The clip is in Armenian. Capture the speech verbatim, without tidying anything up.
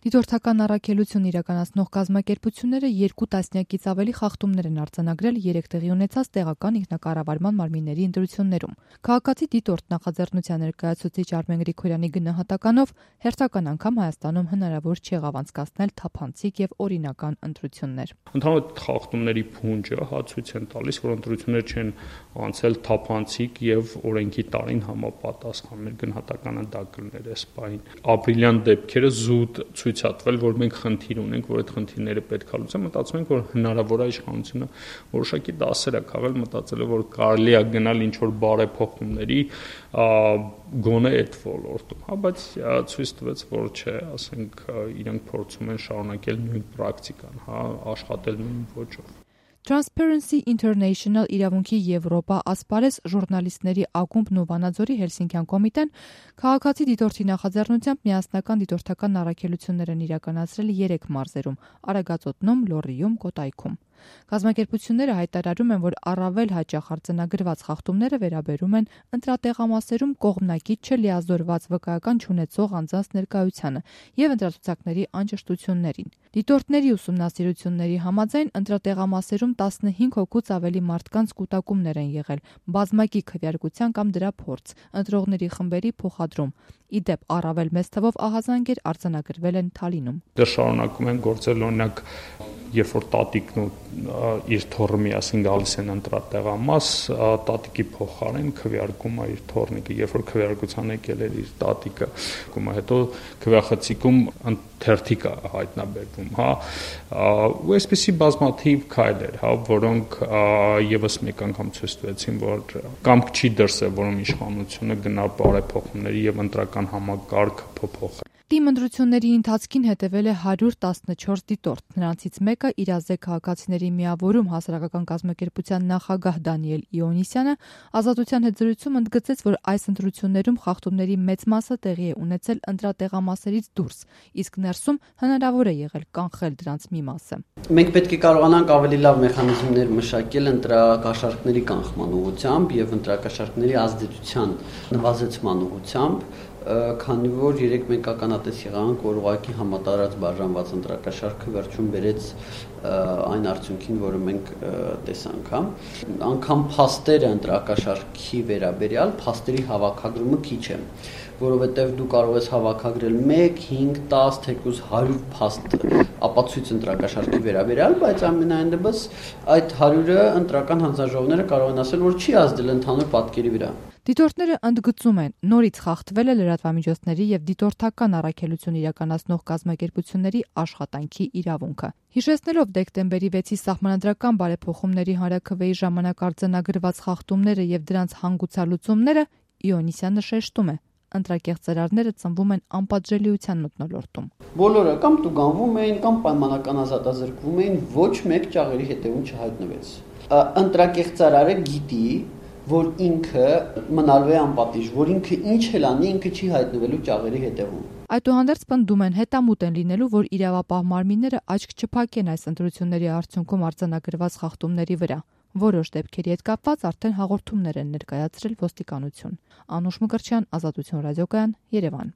Դիտորդական առաքելություն իրականացնող կազմակերպությունները երկու տասնյակից ավելի խախտումներ են արձանագրել երեք տեղի ունեցած տեղական ինքնակառավարման մարմինների ընտրություններում։ Քաղաքացի դիտորդ նախաձեռնության ներկայացուցիչ Արմեն Գրիգորյանի գնահատականով հերթական անգամ Հայաստանում հնարավոր չեղավ անցկացնել թափանցիկ եւ օրինական ընտրություններ։ Ընդհանուր խախտումների փունջը հա ցույց են տալիս, որ ընտրություններ չեն անցել թափանցիկ եւ օրենքի տարին համապատասխան։ Մեր գնահատականը դա կլներ այս պահին։ Ապրիլյան դեպքերը զուտ ցույցատվել, որ մենք խնդիր ունենք, որ այդ խնդիրները պետք է լուծեն, մտածում ենք, որ հնարավոր է իշխանությունը որոշակի դասեր է քաղել, մտածելով, որ կարելի է գնալ ինչ որ բարեփոխումների գոնե այդ ոլորտում, հա, բայց ցույց տվեց, որ չէ, ասենք իրենք փորձում են շարունակել նույն պրակտիկան, հա, աշխատել նույն ոճով։ Transparency International իրավունքի Եվրոպա ասպարեզ ժուրնալիստների ակումբն ու Վանաձորի Հելսինկյան կոմիտեն քաղաքացի դիտորդի նախաձեռնությամբ միասնական դիտորդական առաքելություններ են իրականացրել երեք մարզերում՝ Արագածոտնում, Լոռիում, Կոտայքում։ Կազմակերպությունները հայտարարում են, որ առավել հաճախ արձանագրված խախտումները վերաբերում են ընտրատեղամասերում կողմնակից չլիազորված վկայական չունեցող անձանց ներկայությանը եւ ընտրացուցակների անճշտություններին։ Դիտորդների ուսումնասիրությունների համաձայն ընտրատեղամասերում տասնհինգ հոգուց ավելի մարդկանց կուտակումներ են եղել, բազմակի քվեարկության կամ դրա փորձ, ընտրողների խմբերի փոխադրում։ Ի դեպ, առավել մեծ թվով ահազանգեր արձանագրվել են Թալինում։ Դեռ շարունակում են գործել, օրինակ, երբ որ տատիկն ու իր թոռը միասին գալիս են ընտրատեղամաս, տատիկի փոխարեն քվեարկում է իր թոռնիկը, երբ որ քվեարկության եկել էր իր տատիկը, հետո քվեախցիկում թերթիկ է հայտնաբերվում, հա, ու այսպեսի բազմաթիվ քայլեր, հա, որոնք եւս մեկ անգամ ցույց տվեցին, որ կամք չի դրսեւ, որում իշխանությունը գնա բարեփոխումների եւ ընտրական համակարգը փոփոխի։ Թիմ ընտրությունների ընթացքին հետևել է հարյուր տասնչորս դիտորդ, նրանցից մեկը իրազեկ քաղաքացիների միավորում հասարակական կազմակերպության նախագահ Դանիել Իոնիսյանը Ազատության հետ զրույցում ընդգծեց, որ այս ընտրություններում խախտումների մեծ մասը տեղի է ունեցել ընտրատեղամասերից դուրս, իսկ ներսում հնարավոր է եղել կանխել դրանց մի մասը։ Մենք պետք է կարողանանք ավելի լավ մեխանիզմներ մշակել ընտրակաշառքների կանխման ուղղությամբ եւ ընտրակաշառքների ազդեցության նվազեցման ուղղությամբ, քանի որ երեք մենք ականատես եղանք, որ ուղղակի համատարած բաժանված ընտրակաշառքը վերջում բերեց այն արդյունքին, որը մենք տեսանք, հա, անգամ փաստերը ընտրակաշառքի վերաբերյալ փաստերի հավաքագրումը քիչ է, որովհետև դու կարող ես հավաքագրել մեկ, հինգ, տաս, թեկուզ հարյուր փաստ ապացույց ընտրակաշառքի վերաբերյալ, բայց ամենայն դեպս այդ հարյուրը ընտրական հանձնաժողովները կարող են ասել, որ չի ազդել ընդհանուր պատկերի վրա։ Դիտորդները ընդգծում են, նորից խախտվել է լրատվամիջոցների եւ դիտորդական առաքելություն իրականացնող կազմակերպությունների աշխատանքի իրավունքը։ Հիշեցնելով դեկտեմբերի վեցի սահմանադրական բարեփոխումների հանրաքվեի ժամանակ արձանագրված խախտումները եւ դրանց հանգուցալուծումները, Իոնիսյանը շեշտում է, ընտրակեղծարարները ծնվում են անպատժելիության մթնոլորտում։ Բոլորը կամ տուգանվում էին, կամ պայմանական ազատազրկվում էին, ոչ մեկ ճաղերի հետևում չհայտնվեց։ Ընտրակեղծարարը գիտի, որ ինքը մնալու է անպատիժ, որ ինքը ինչ էլ անի, ինքը չի հայտնվելու ճաղերի հետևում։ Այդուհանդերձ պնդում են հետամուտ են լինելու, որ իրավապահ մարմինները աչք չփակեն այս ընտրությունների արդյունքում արձանագրված խախտումների վրա։ Որոշ դեպքերի հետ կապված արդեն հաղորդումներ են ներկայացրել ոստիկանություն։ Անուշ Մկրտչյան, Ազատություն ռադիոկայան, Երևան։